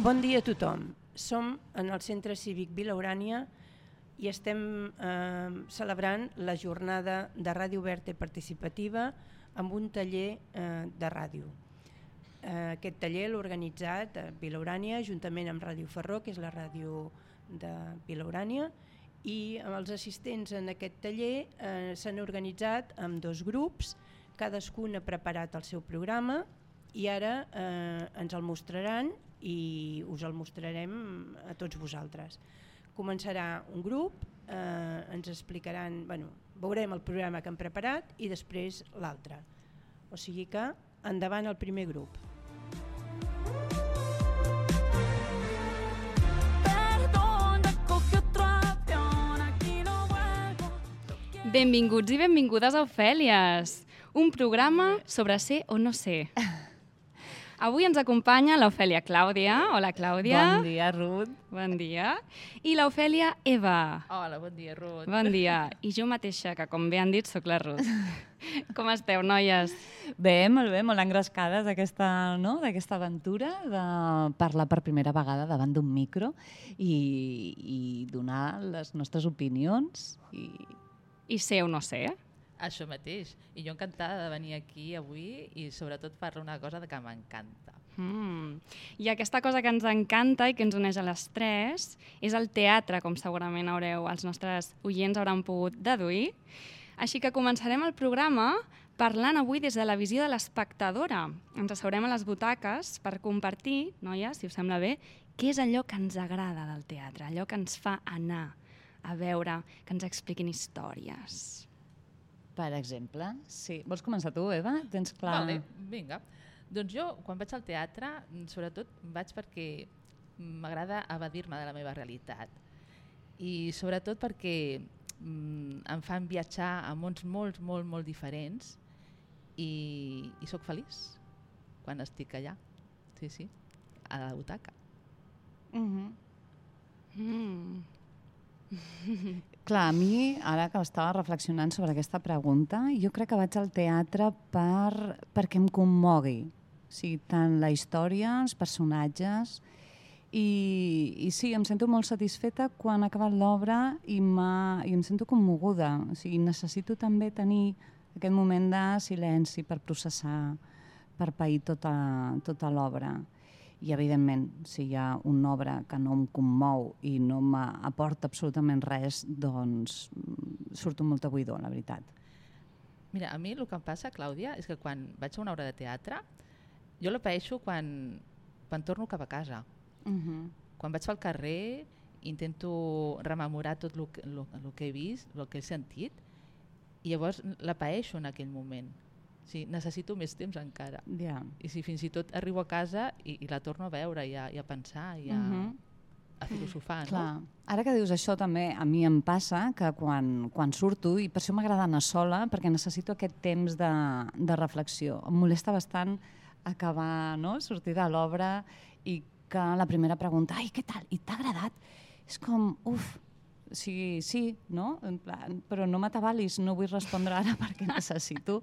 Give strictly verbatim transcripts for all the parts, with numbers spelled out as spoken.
Bon dia a tothom. Som en el Centre Cívic Vila Urània i estem eh, celebrant la jornada de ràdio oberta i participativa amb un taller eh, de ràdio. Eh, aquest taller l'ha organitzat a Vila Urània juntament amb Ràdio Ferró, que és la ràdio de Vila Urània, i amb els assistents en aquest taller eh, s'han organitzat en dos grups, cadascun ha preparat el seu programa i ara eh, ens el mostraran i us el mostrarem a tots vosaltres. Començarà un grup, eh, ens explicaran, bueno, veurem el programa que han preparat i després l'altre. O sigui que endavant el primer grup. Benvinguts i benvingudes a Ofèlies, un programa sobre ser o no ser. Avui ens acompanya l'Ofèlia Clàudia. Hola, Clàudia. Bon dia, Ruth. Bon dia. I l'Ofèlia Eva. Hola, bon dia, Ruth. Bon dia. I jo mateixa, que com bé han dit, sóc la Ruth. Com esteu, noies? Bé, molt bé, molt engrescades d'aquesta, no? d'aquesta aventura de parlar per primera vegada davant d'un micro i, i donar les nostres opinions. I, I ser o no ser. Això mateix. I jo encantada de venir aquí avui i sobretot parlar una cosa que m'encanta. Mm. I aquesta cosa que ens encanta i que ens uneix a les tres és el teatre, com segurament haureu, els nostres oients hauran pogut deduir. Així que començarem el programa parlant avui des de la visió de l'espectadora. Ens asseurem a les butaques per compartir, noies, si us sembla bé, què és allò que ens agrada del teatre, allò que ens fa anar a veure, que ens expliquin històries. per exemple, sí. Vols començar tu, Eva? Tens clar... Vale, vinga. Doncs jo, quan vaig al teatre, sobretot vaig perquè m'agrada evadir-me de la meva realitat. I sobretot perquè mm, em fan viatjar a mons molt, molt, molt diferents i, i sóc feliç quan estic allà. Sí, sí, a la butaca. Uh-huh. Mm. Clar, a mi, ara que estava reflexionant sobre aquesta pregunta, jo crec que vaig al teatre per, perquè em commogui. O sigui, tant la història, els personatges... I, i sí, em sento molt satisfeta quan ha acabat l'obra i, i em sento commoguda. O sigui, necessito també tenir aquest moment de silenci per processar, per pair tota, tota l'obra. I, evidentment, si hi ha una obra que no em commou i no m'aporta absolutament res, doncs surto molt a buidor, la veritat. Mira, a mi el que em passa, Clàudia, és que quan vaig a una obra de teatre, jo la paeixo quan, quan torno cap a casa. Uh-huh. Quan vaig pel carrer intento rememorar tot el que, el, el que he vist, el que he sentit, i llavors la paeixo en aquell moment. O sigui, necessito més temps encara. Yeah. I si fins i tot arribo a casa i, i la torno a veure i a, i a pensar i a, uh-huh. a filosofar. Clar. No? Ara que dius això també, a mi em passa que quan, quan surto, i per això m'agrada anar sola, perquè necessito aquest temps de, de reflexió. Em molesta bastant acabar, no?, sortir de l'obra i que la primera pregunta, ai, què tal? I t'ha agradat? És com, uf, sí, sí, no? En plan, però no m'atabalis, no vull respondre ara perquè necessito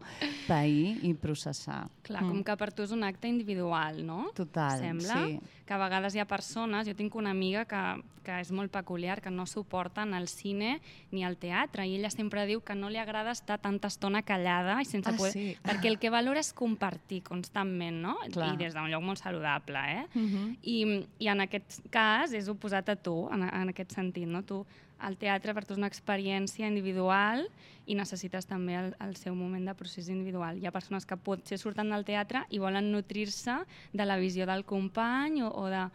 pair i processar. Clar, com que per tu és un acte individual, no? Total, Sembla sí. Que a vegades hi ha persones, jo tinc una amiga que, que és molt peculiar, que no suporten el cine ni el teatre, i ella sempre diu que no li agrada estar tanta estona callada i sense Ah, poder... sí? Perquè el que valora és compartir constantment, no? Clar. I des d'un lloc molt saludable, eh? Uh-huh. I, I en aquest cas és oposat a tu, en, en aquest sentit, no? Tu, el teatre per tu és una experiència individual i necessites també el, el seu moment de procés individual. Hi ha persones que potser surten del teatre i volen nutrir-se de la visió del company o, o de,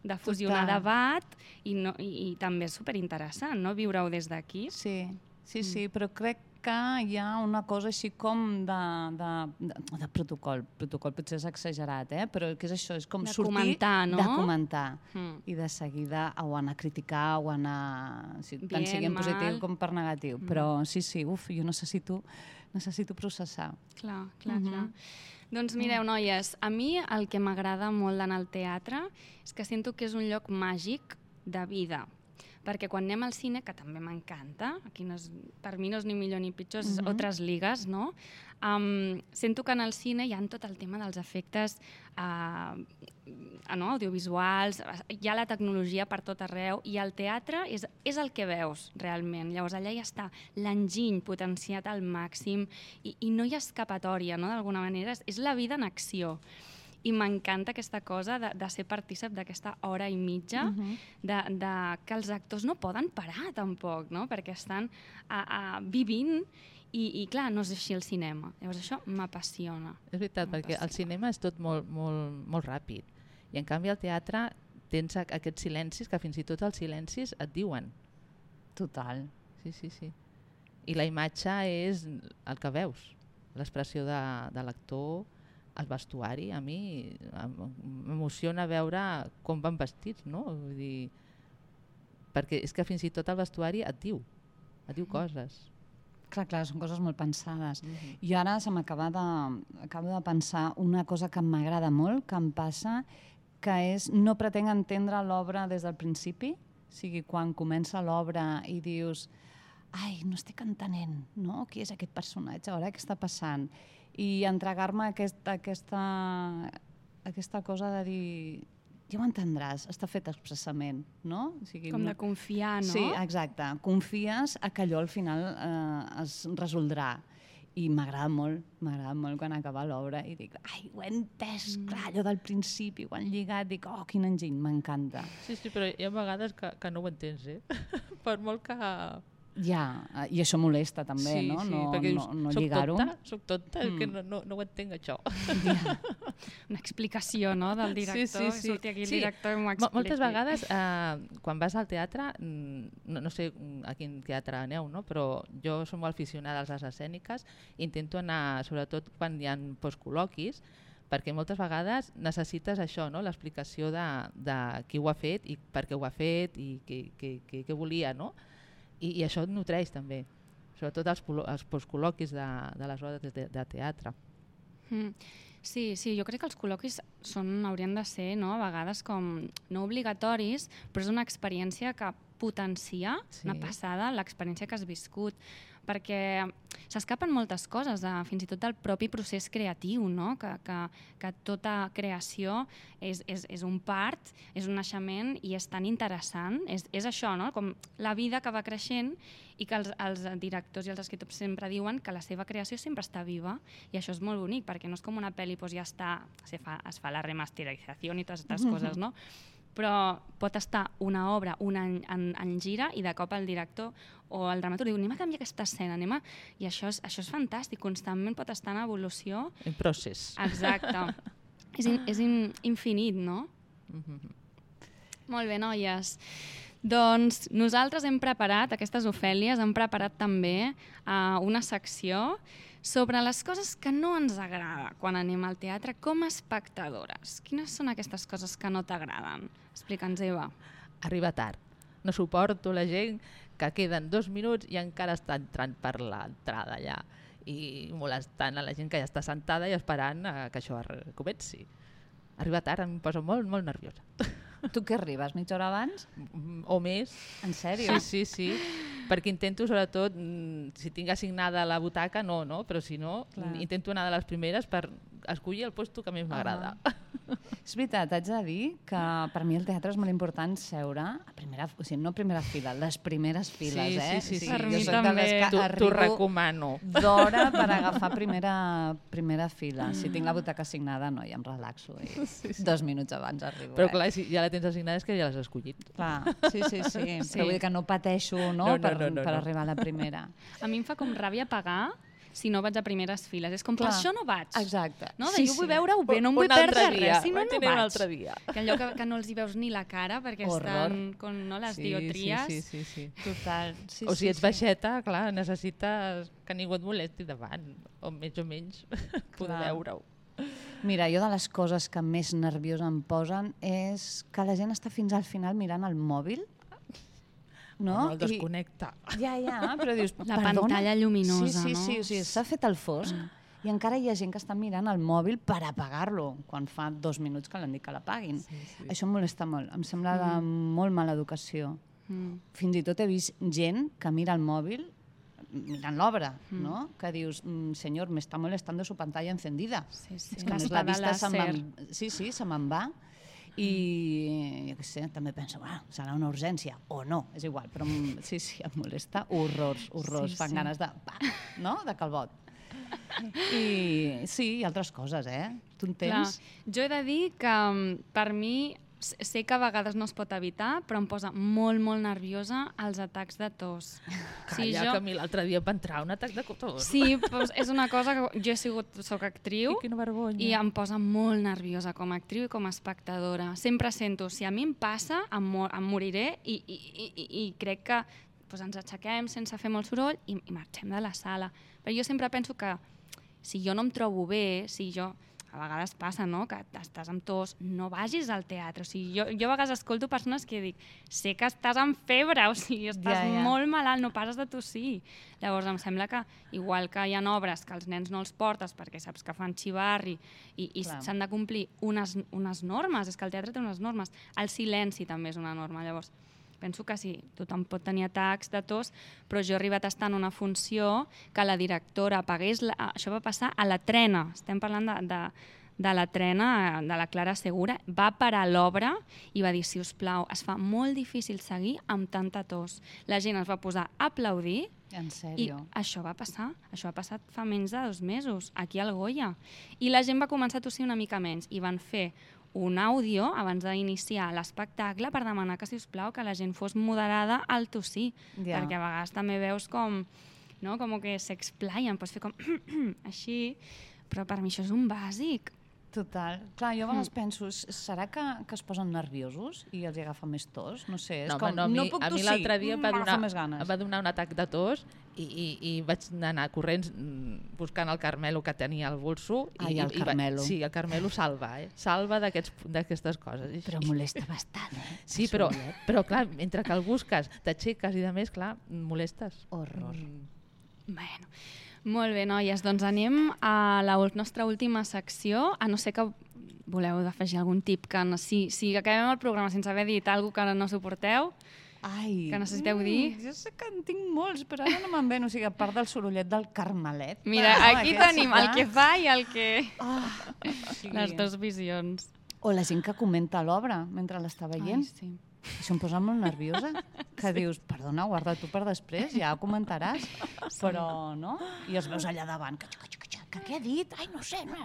de fusionar Total. debat i, no, i, i també és superinteressant, no?, viure-ho des d'aquí. Sí, sí, sí, però crec que hi ha una cosa així com de, de, de, de protocol. Protocol potser és exagerat, eh? Però què és això? És com De sortir comentar, no? de comentar. Mm. I de seguida o anar a criticar o anar... Si, tant Bien, sigui en positiu mal. com per negatiu. Mm. Però sí, sí, uf, jo necessito, necessito processar. Clar, clar, Mhm. clar. Doncs mireu, noies, a mi el que m'agrada molt d'anar al teatre és que sento que és un lloc màgic de vida. perquè quan anem al cine, que també m'encanta, aquí no és, per mi no és ni millor ni pitjor, és Mhm. altres ligues, no? Um, sento que en el cine hi ha tot el tema dels efectes uh, no? audiovisuals, hi ha la tecnologia per tot arreu, i el teatre és, és el que veus realment. Llavors allà ja està l'enginy potenciat al màxim i, i no hi ha escapatòria, no? D'alguna manera, és, és la vida en acció. I m'encanta aquesta cosa de, de ser partícip d'aquesta hora i mitja, Mhm. de, de que els actors no poden parar tampoc, no? Perquè estan a, a, vivint i, i clar, no és així el cinema. Llavors això m'apassiona. És veritat, perquè el cinema és tot molt, molt, molt ràpid. I en canvi al teatre tens a- aquests silencis que fins i tot els silencis et diuen. Total. Sí, sí, sí. I la imatge és el que veus, l'expressió de, de l'actor, el vestuari. A mi em- m'emociona veure com van vestits, no? Vull dir, perquè és que fins i tot el vestuari et diu, et diu coses. Clar, clar, són coses molt pensades. Mhm. I ara se m'acaba de, acabo de pensar una cosa que m'agrada molt, que em passa, que és no pretenc entendre l'obra des del principi. O sigui, quan comença l'obra i dius ai, no estic entenent, no? Qui és aquest personatge? Ara què està passant? I entregar-me aquest, aquesta, aquesta cosa de dir ja ho entendràs, està fet expressament, no? O sigui, Com no- de confiar, no? Sí, exacte. Confies a que allò al final eh, es resoldrà. I m'agrada molt, m'agrada molt quan acaba l'obra i dic, ai, ho he entès, Mm. clar, allò del principi, ho han lligat, dic, oh, quin enginy, m'encanta. Sí, sí, però hi ha vegades que, que no ho entens, eh? Per molt que... Ja, eh, i això molesta també, sí, no? sí, no, perquè no, dius, no soc lligar-ho. tonta, soc tonta, és que Mm. no, no, no ho entenc això. Ja. Una explicació, no?, del director, Sí, sí, sí. surti aquí el Sí. director i m'ho Mo- expliqui. Moltes vegades, eh, quan vas al teatre, mm, no, no sé a quin teatre aneu, no? Però jo som molt aficionada a les arts escèniques, intento anar, sobretot quan hi ha postcol·loquis, perquè moltes vegades necessites això, no? L'explicació de, de qui ho ha fet i per què ho ha fet i què, què, què, què volia, no? I, i això et nutreix també, sobretot els, polo- els postcol·loquis de, de les hores de, de teatre. Mm. Sí, sí, jo crec que els col·loquis són, haurien de ser, no?, a vegades com no obligatoris, però és una experiència que potencia, Sí. una passada, l'experiència que has viscut, perquè s'escapen moltes coses, de, fins i tot del propi procés creatiu, no?, que, que, que tota creació és, és, és un part, és un naixement i és tan interessant, és, és això, no?, com la vida que va creixent i que els, els directors i els escriptors sempre diuen que la seva creació sempre està viva, i això és molt bonic, perquè no és com una pel·li, doncs ja està, se fa, es fa la remasterització i totes aquestes coses, no? Però pot estar una obra un any en, en gira i de cop el director o el dramaturg diu anem a canviar aquesta escena, anem a... I això és, això és fantàstic, constantment pot estar en evolució. En procés. Exacte. és in, és in, infinit, no? Mhm. Molt bé, noies. Doncs nosaltres hem preparat, aquestes Ofèlies, hem preparat també uh, una secció sobre les coses que no ens agrada quan anem al teatre com a espectadores. Quines són aquestes coses que no t'agraden? Explica'ns, Eva. Arriba tard. No suporto la gent que queden dos minuts i encara està entrant per l'entrada allà i molestant a la gent que ja està sentada i esperant eh, que això ar- comenci. Arribar tard em posa molt, molt nerviosa. Tu què arribes, mitja hora abans? Mm, O més. En sèrio? Sí, sí, sí. Perquè intento, sobretot, mm, si tinc assignada la butaca, no, no, però si no, Clar. mm, intento anar de les primeres per escollir el lloc que més m'agrada. És veritat, haig de dir que per mi el teatre és molt important seure a primera, o sigui, no a primera fila, les primeres files, Sí, eh? sí, sí, O sí. sigui, Per jo mi soc de les també. que T'ho t'ho arribo recomano. d'hora per agafar primera, primera fila. Si tinc la butaca assignada, no, ja em relaxo. I Sí, sí. dos minuts abans arribo. Però eh? clar, si ja la tens assignada és que ja l'has escollit. Clar, sí, sí, sí, Sí. Però vull dir que no pateixo no, No, no, per, no, no, per no. arribar a la primera. A mi em fa com ràbia pagar si no vaig a primeres files. És com, per Clar. això no vaig. Exacte. No? De Sí, jo vull sí. veure-ho bé, no em vull Un altre perdre dia, res, si no, vaig no anar un vaig. altre dia. Que allò que, que no els hi veus ni la cara perquè Horror. estan con no, les diotries. Sí, sí, sí, sí. Total. Sí, O si sí, ets sí. baixeta, clar, necessites que ningú et molesti davant, o més o menys poder Clar. veure-ho. Mira, jo de les coses que més nerviosa em posen és que la gent està fins al final mirant el mòbil. No? No el desconnecta. I, ja, ja, però dius, La perdona? pantalla lluminosa, sí, sí, no? Sí, o sigui, s'ha fet el fosc i encara hi ha gent que està mirant el mòbil per apagar-lo, quan fa dos minuts que l'han dit que l'apaguin. Sí, sí. Això em molesta molt, em sembla de molt mala educació. Mm. Fins i tot he vist gent que mira el mòbil mirant l'obra, Mm. no? Que dius, mm, senyor, me está molestando su pantalla encendida. Sí, sí. És que a més la L'espada vista se làser. me'n... Sí, sí, se me'n va. I jo què sé, també penso, ah, serà una urgència, o no, és igual, però em- sí, sí, em molesta horrors, horrors, Sí, fan sí. ganes de, pa, no?, de calbot. I sí, i altres coses, eh? Tu en tens? Clar, jo he de dir que mm, per mi s- sé que a vegades no es pot evitar, però em posa molt, molt nerviosa els atacs de tos. Calla, que a mi l'altre dia em va entrar un atac de tos. Sí, doncs és una cosa que jo he sigut, soc actriu I quina vergonya. i em posa molt nerviosa com a actriu i com a espectadora. Sempre sento, si a mi em passa, em, mor em moriré i, i, i, i i crec que doncs ens aixequem sense fer molt soroll i, i marxem de la sala. Però jo sempre penso que si jo no em trobo bé, si jo... A vegades passa, no?, que estàs amb tos, no vagis al teatre. O sigui, jo, jo a vegades escolto persones que dic, sé que estàs amb febre, o sigui, estàs Ja, ja. molt malalt, no pares de tossir. Llavors em sembla que, igual que hi ha obres que els nens no els portes perquè saps que fan xivarri i, i Clar. s'han de complir unes, unes normes, és que el teatre té unes normes. El silenci també és una norma, llavors penso que sí, tothom pot tenir atacs de tos, però jo he arribat a estar en una funció que la directora apagués... La... Això va passar a la trena, estem parlant de, de, de la trena, de la Clara Segura, va parar l'obra i va dir, si us plau, es fa molt difícil seguir amb tanta tos. La gent es va posar a aplaudir En i sèrio? això va passar, això ha passat fa menys de dos mesos, aquí al Goya. I la gent va començar a tossir una mica menys i van fer un àudio abans d'iniciar l'espectacle per demanar que, si us plau, que la gent fos moderada al tossir, Ja. perquè a vegades també veus com, no, com que s'explaien, pots fer com així, però per mi això és un bàsic. Total. Clar, jo a vegades penso, s- serà que, que es posen nerviosos i els hi agafa més tos? No sé, és No, com, home, no, a mi, no puc a mi tossir, l'altre dia em va, m'agafa donar, més ganes. em va donar un atac de tos i, i, i vaig anar corrents mm, buscant el Carmelo que tenia al bolso. I, Ai, el i, i va- Carmelo. Sí, el Carmelo salva, eh? Salva d'aquests- d'aquestes coses. I- Però molesta bastant, eh? Sí, però, però clar, mentre que el busques, t'aixeques i de més, clar, molestes. Horror. Mm. Bueno, molt bé, noies, doncs anem a la ul- nostra última secció, a no ser que voleu afegir algun tip, que no, si, si acabem el programa sense haver dit alguna cosa que no suporteu, Ai, que necessiteu dir? Jo sé que en tinc molts, però ara no me'n ven. O sigui, a part del sorollet del Carmelet. mira, no, aquí aquest tenim sí el que fa i el que... Ah, o sigui, Les dues visions. O la gent que comenta l'obra mentre l'està veient. Ai, sí. Això em posa molt nerviosa, que sí. Dius, perdona, guarda tu per després, ja ho comentaràs, però no? I els veus allà davant, que, que, que, que què ha dit? Ai, no sé, no.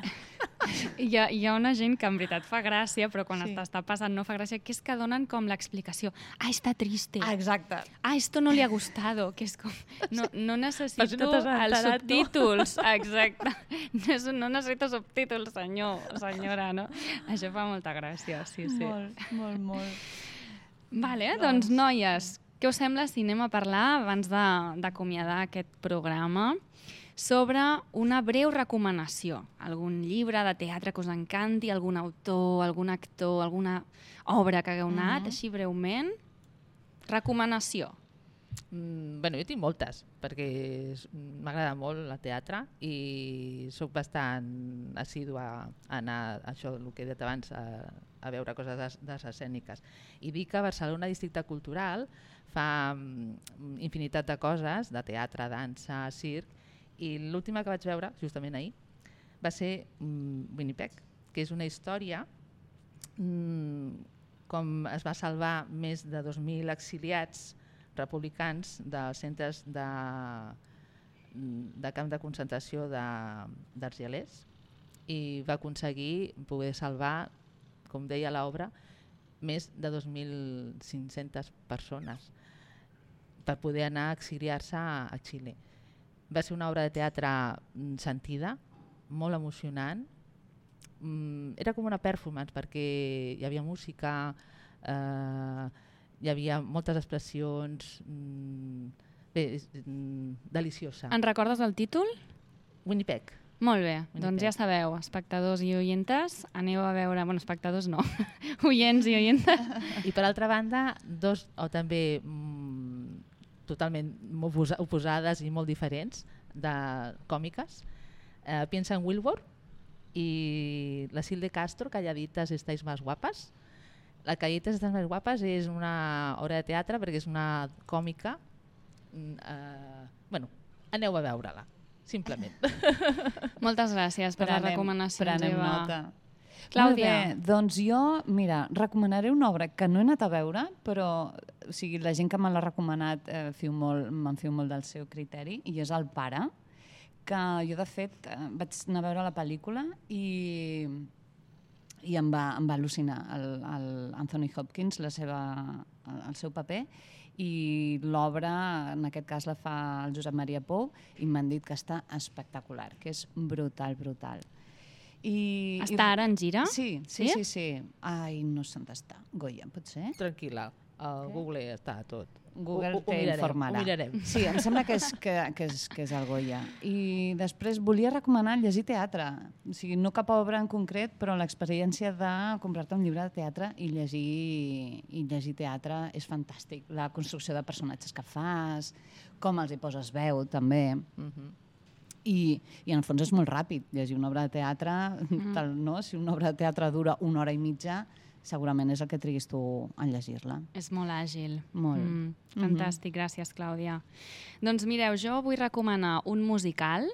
Hi ha, hi ha una gent que en veritat fa gràcia, però quan Sí. sí. t'està passant no fa gràcia, que és que donen com l'explicació. Ah, està triste. Ah, exacte. Ah, esto no le ha gustado, que és com... No, no Per necessito si no t'has els enterat, no? subtítols. Exacte. No, és- no necessito subtítols, senyor, senyora, no? Això fa molta gràcia, sí, sí. Molt, molt, molt. Vale, doncs, noies, què us sembla si anem a parlar, abans de- d'acomiadar aquest programa, sobre una breu recomanació? Algun llibre de teatre que us encanti, algun autor, algun actor, alguna obra que hagueu anat, Mhm. així breument? Recomanació. Mm, bueno, jo tinc moltes, perquè és- m'agrada molt el teatre i sóc bastant assídua a anar, això, el que he dit abans, a, a veure coses des, des escèniques. I dic que a Barcelona Districte Cultural fa mm, infinitat de coses, de teatre, dansa, circ, i l'última que vaig veure, justament ahir, va ser mm, Winnipeg, que és una història mm, com es va salvar més de dos mil exiliats republicans dels centres de, de camp de concentració de- d'Argelers i va aconseguir poder salvar, com deia l'obra, més de dos mil cinc-centes persones per poder anar a exiliar-se a, a Xile. Va ser una obra de teatre mm, sentida, molt emocionant. Mm, era com una performance perquè hi havia música, eh, hi havia moltes expressions, mm, bé, és, mm, deliciosa. En recordes el títol? Winnipeg. Molt bé, Winnipeg. doncs ja sabeu, espectadors i oientes, aneu a veure... Bueno, espectadors no, oients i oientes. I per altra banda, dos, o també mm, totalment oposa- oposades i molt diferents, de còmiques. Eh, piensa en Wilbur i la Sil de Castro, Calladitas estáis más guapas. La Calletes de les més guapes és una obra de teatre perquè és una còmica. Uh, bueno, aneu a veure-la, simplement. Moltes gràcies per Prenem, la recomanació, prenem Eva. nota. Clàudia. Molt bé, doncs jo, mira, recomanaré una obra que no he anat a veure, però o sigui, la gent que me l'ha recomanat eh, fiu molt, me'n fiu molt del seu criteri, i és El pare, que jo, de fet, eh, vaig anar a veure la pel·lícula i, i em, va, em va al·lucinar el, el Anthony Hopkins, la seva, el, el seu paper, i l'obra, en aquest cas la fa el Josep Maria Pou, i m'han dit que està espectacular, que és brutal, brutal. I, Està i... ara en gira? Sí, sí, sí, sí. Ai, no sé on està. Goya, pot ser? Tranquil·la, el Google està tot. Google ho, ho, te ho informarà. Ho mirarem. Sí, em sembla que és, que, que, és, que és el Goya. I després volia recomanar llegir teatre. O sigui, no cap obra en concret, però l'experiència de comprar-te un llibre de teatre i llegir, i llegir teatre és fantàstic. La construcció de personatges que fas, com els hi poses veu, també. Uh-huh. I, i en el fons és molt ràpid llegir una obra de teatre, mm. tal, no? Si una obra de teatre dura una hora i mitja, segurament és el que triguis tu en llegir-la. És molt àgil. Molt. Mm, fantàstic, mm-hmm. Gràcies, Clàudia. Doncs mireu, jo vull recomanar un musical,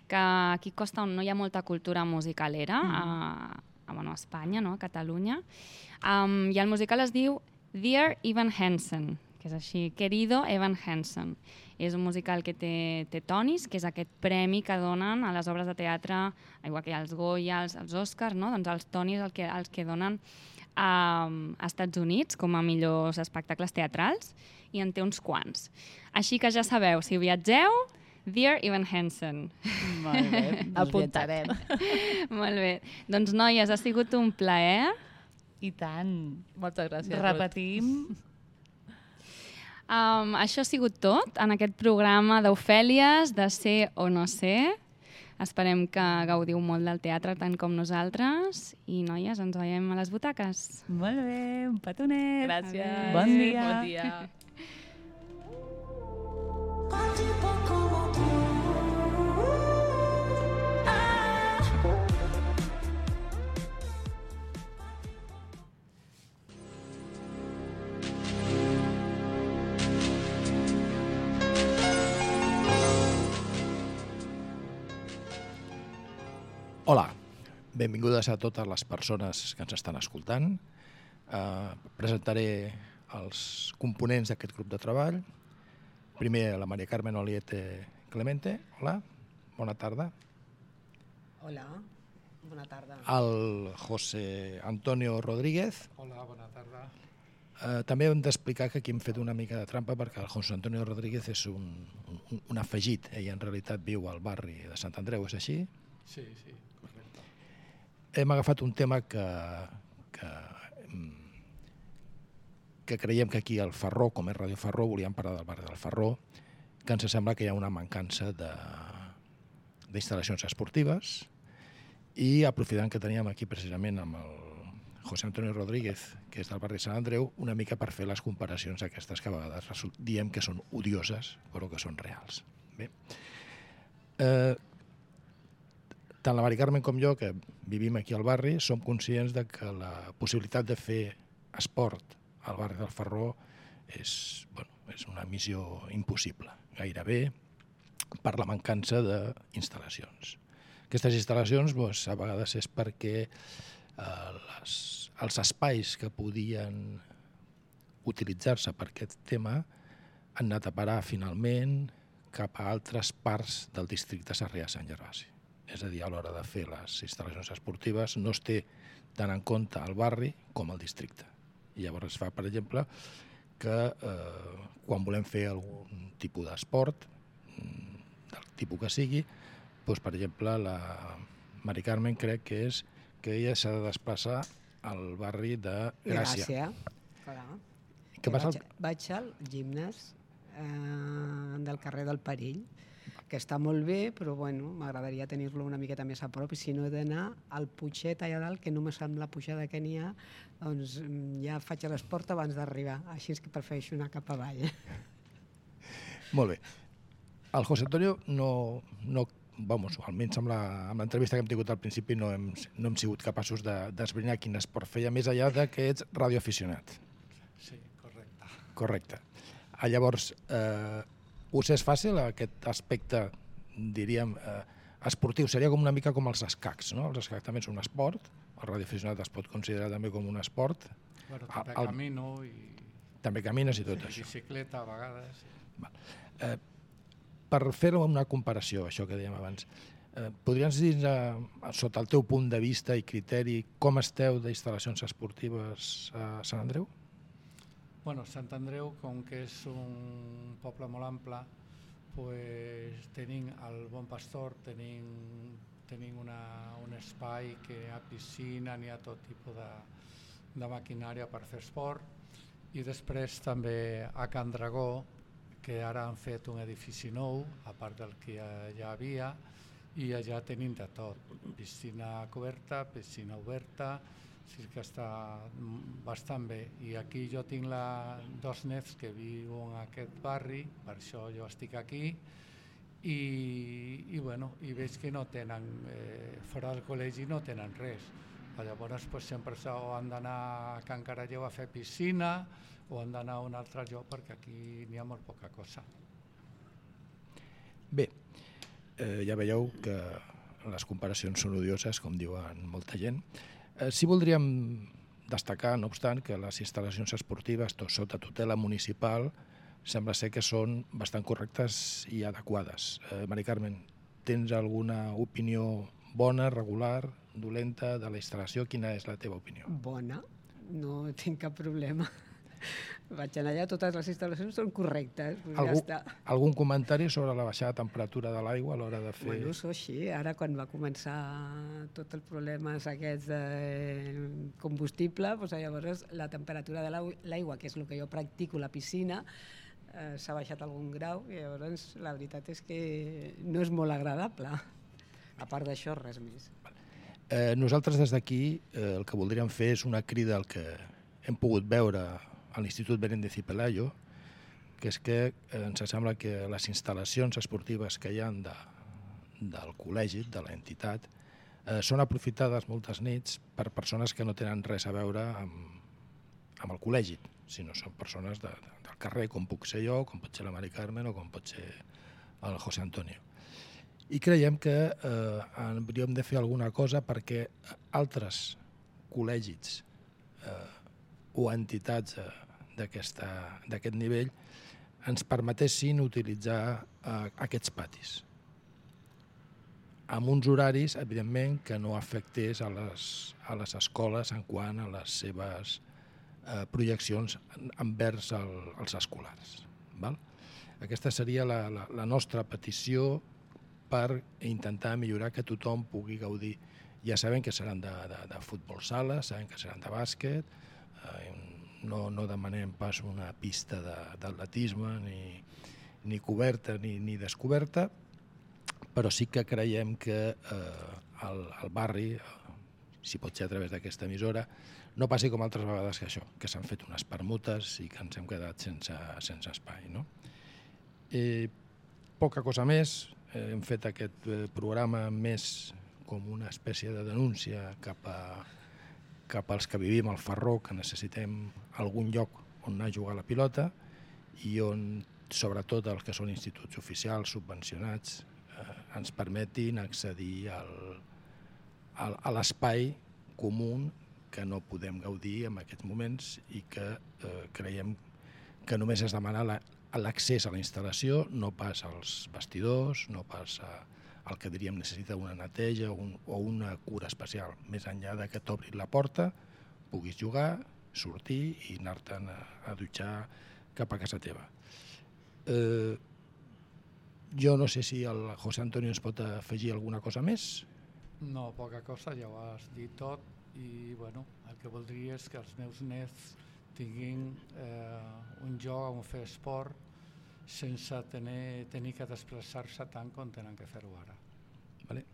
que aquí costa on no hi ha molta cultura musicalera, mm. a, a, bueno, a Espanya, no? A Catalunya, um, i el musical es diu Dear Evan Hansen, que és així, Querido Evan Hansen. És un musical que té, té Tonis, que és aquest premi que donen a les obres de teatre, igual que hi ha els Goya, els, els Oscars, no? Doncs els Tonis el que, els que donen a, a Estats Units com a millors espectacles teatrals, i en té uns quants. Així que ja sabeu, si viatgeu, Dear Evan Hansen. Molt bé, apuntarem. Molt bé. Doncs, noies, ha sigut un plaer. I tant. Moltes gràcies. Repetim. Um, això ha sigut tot en aquest programa d'Ofèlies, de Ser o no ser. Esperem que gaudiu molt del teatre tant com nosaltres. I, noies, ens veiem a les butaques. Molt bé, un petonet. Gràcies. Bon dia. Bon dia. Hola, benvingudes a totes les persones que ens estan escoltant. Uh, presentaré els components d'aquest grup de treball. Primer, la Maria Carmen Oliete Clemente. Hola, bona tarda. Hola, bona tarda. El José Antonio Rodríguez. Hola, bona tarda. Uh, també hem d'explicar que aquí hem fet una mica de trampa perquè el José Antonio Rodríguez és un, un, un afegit. Ell en realitat viu al barri de Sant Andreu, és així? Sí, sí, correcte. Hem agafat un tema que, que, que creiem que aquí al Ferró, com és Ràdio Ferró, volíem parlar del barri del Ferró, que ens sembla que hi ha una mancança d'instal·lacions esportives, i aprofitant que teníem aquí precisament amb el José Antonio Rodríguez, que és del barri de Sant Andreu, una mica per fer les comparacions aquestes que a vegades diem que són odioses, però que són reals. Bé. Eh, tant la Mari Carmen com jo, que vivim aquí al barri, som conscients de que la possibilitat de fer esport al barri del Ferró és, bueno, és una missió impossible, gairebé, per la mancança d'instal·lacions. Aquestes instal·lacions doncs, a vegades és perquè eh, les, els espais que podien utilitzar-se per aquest tema han anat a parar finalment cap a altres parts del districte Sarrià-Sant Gervasi. És a dir, a l'hora de fer les instal·lacions esportives no es té tant en compte el barri com el districte. I llavors es fa, per exemple, que eh, quan volem fer algun tipus d'esport, del tipus que sigui, doncs, per exemple, la Mari Carmen crec que és que ella s'ha de desplaçar al barri de Gràcia. Gràcia. Què passa? Vaig, vaig al gimnàs eh, del carrer del Perill, que està molt bé, però bueno, m'agradaria tenir-lo una miqueta més a prop, i si no he d'anar al Puiget allà dalt, que només amb la pujada que n'hi ha, doncs ja faig l'esport abans d'arribar, així és que prefereixo anar cap avall. Molt bé. El José Antonio no, no, vamos, almenys amb la- amb l'entrevista que hem tingut al principi no hem, no hem sigut capaços de- d'esbrinar quin esport feia, més enllà de que ets radioaficionat. Sí, correcte. Correcte. Ah, llavors, eh, us és fàcil aquest aspecte, diríem, eh, esportiu? Seria com una mica com els escacs, no? Els escacs també són un esport, el radioaficionat es pot considerar també com un esport. Bueno, Ah, també el- camino i També camines i tot sí, això. bicicleta a vegades. Eh, per fer una comparació, això que dèiem abans, eh, podries dir, eh, sota el teu punt de vista i criteri, com esteu d'instal·lacions esportives a Sant Andreu? Bueno, Sant Andreu, com que és un poble molt ample, pues, tenim el Bon Pastor, tenim, tenim una, un espai que hi ha piscina, n'hi ha tot tipus de, de maquinària per fer esport, i després també a Can Dragó, que ara han fet un edifici nou, a part del que ja, ja havia, i allà tenim de tot, piscina coberta, piscina oberta, sí que està bastant bé. I aquí jo tinc la, dos nets que viuen en aquest barri, per això jo estic aquí, i, i, bueno, i veig que no tenen, eh, fora del col·legi no tenen res. Llavors pues, sempre o han d'anar a Can Caralleu a fer piscina o han d'anar a un altre lloc perquè aquí n'hi ha molt poca cosa. Bé, eh, ja veieu que les comparacions són odioses, com diuen molta gent. Eh, sí voldríem destacar, no obstant, que les instal·lacions esportives, tot sota tutela municipal, sembla ser que són bastant correctes i adequades. Eh, Mari Carmen, tens alguna opinió bona, regular, dolenta de la instal·lació? Quina és la teva opinió? Bona, no tinc cap problema. Vaig anar allà, totes les instal·lacions són correctes, doncs Algú, ja està. algun comentari sobre la baixada de temperatura de l'aigua a l'hora de fer... Bueno, això sí, ara quan va començar tots els problemes aquests de combustible, doncs llavors la temperatura de l'aigua, l'aigua, que és el que jo practico, la piscina, eh, s'ha baixat algun grau i llavors la veritat és que no és molt agradable. A part d'això, res més. Eh, nosaltres des d'aquí eh, el que voldríem fer és una crida al que hem pogut veure a l'Institut Benéndez y Pelayo, que és que eh, ens sembla que les instal·lacions esportives que hi ha de, del col·legi, de l'entitat, eh, són aprofitades moltes nits per persones que no tenen res a veure amb, amb el col·legi, sinó són persones de, de, del carrer, com puc ser jo, com pot ser la Mari Carmen o com pot ser el José Antonio. I creiem que eh, hauríem de fer alguna cosa perquè altres col·legis eh, o entitats eh, d'aquest nivell ens permetessin utilitzar eh, aquests patis amb uns horaris, evidentment, que no afectés a les, a les escoles en quant a les seves eh, projeccions envers el, els escolars. Val? Aquesta seria la, la, la nostra petició per intentar millorar que tothom pugui gaudir. Ja sabem que seran de, de, de futbol sala, sabem que seran de bàsquet, eh, no, no demanem pas una pista d'atletisme ni, ni coberta ni, ni descoberta, però sí que creiem que eh, el, el barri, si pot ser a través d'aquesta emissora, no passi com altres vegades que això, que s'han fet unes permutes i que ens hem quedat sense, sense espai. No? Eh, poca cosa més, eh, hem fet aquest eh, programa més com una espècie de denúncia cap, a, cap als que vivim al Farró, que necessitem algun lloc on anar a jugar a la pilota i on, sobretot els que són instituts oficials, subvencionats, eh, ens permetin accedir al, al, a l'espai comú que no podem gaudir en aquests moments i que eh, creiem que només es demana l'accés a la instal·lació, no pas als vestidors, no pas a, al que diríem necessita una neteja o, un, o una cura especial. Més enllà de que t'obrin la porta, puguis jugar, sortir i anar-te'n a, a dutxar cap a casa teva. Eh, jo no sé si el José Antonio ens pot afegir alguna cosa més. No, poca cosa, ja ho has dit tot i bueno, el que voldria és que els meus nets tinguin eh, un lloc on fer esport sense tenir, tenir que desplaçar-se tant com tenen que fer-ho ara. Vale.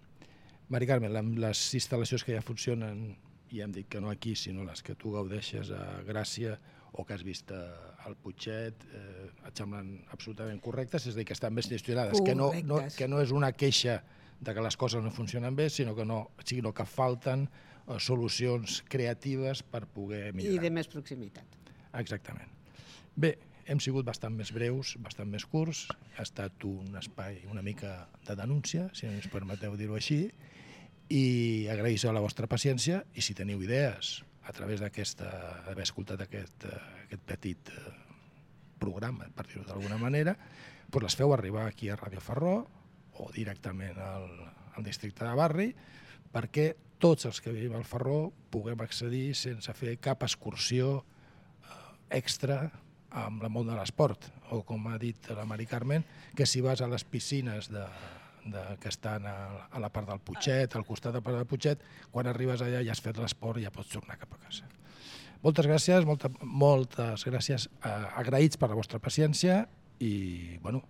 Mari Carmen, les instal·lacions que ja funcionen, ja hem dit que no aquí, sinó les que tu gaudeixes a Gràcia o que has vist al Putxet, eh, et semblen absolutament correctes, és a dir, que estan ben gestionades, que no, no, que no és una queixa de que les coses no funcionen bé, sinó que, no, sinó que falten eh, solucions creatives per poder millorar. I de més proximitat. Exactament. Bé, hem sigut bastant més breus, bastant més curts, ha estat un espai una mica de denúncia, si ens permeteu dir-ho així, i agraeixo la vostra paciència, i si teniu idees a través d'haver escoltat aquest, aquest petit programa, per dir-ho d'alguna manera, doncs les feu arribar aquí a Ràdio Ferró o directament al, al districte de Barri, perquè tots els que vivim al Ferró puguem accedir sense fer cap excursió extra amb el món de l'esport, o com ha dit la Mari Carmen, que si vas a les piscines de, de, que estan a, a la part del Putxet, al costat de la part del Putxet, quan arribes allà ja has fet l'esport i ja pots tornar cap a casa. Moltes gràcies, molta, moltes gràcies, eh, agraïts per la vostra paciència i bueno,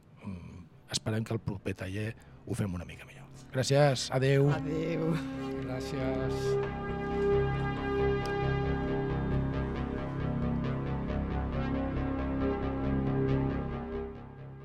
esperem que el proper taller ho fem una mica millor. Gràcies, adeu. Adeu. Gràcies.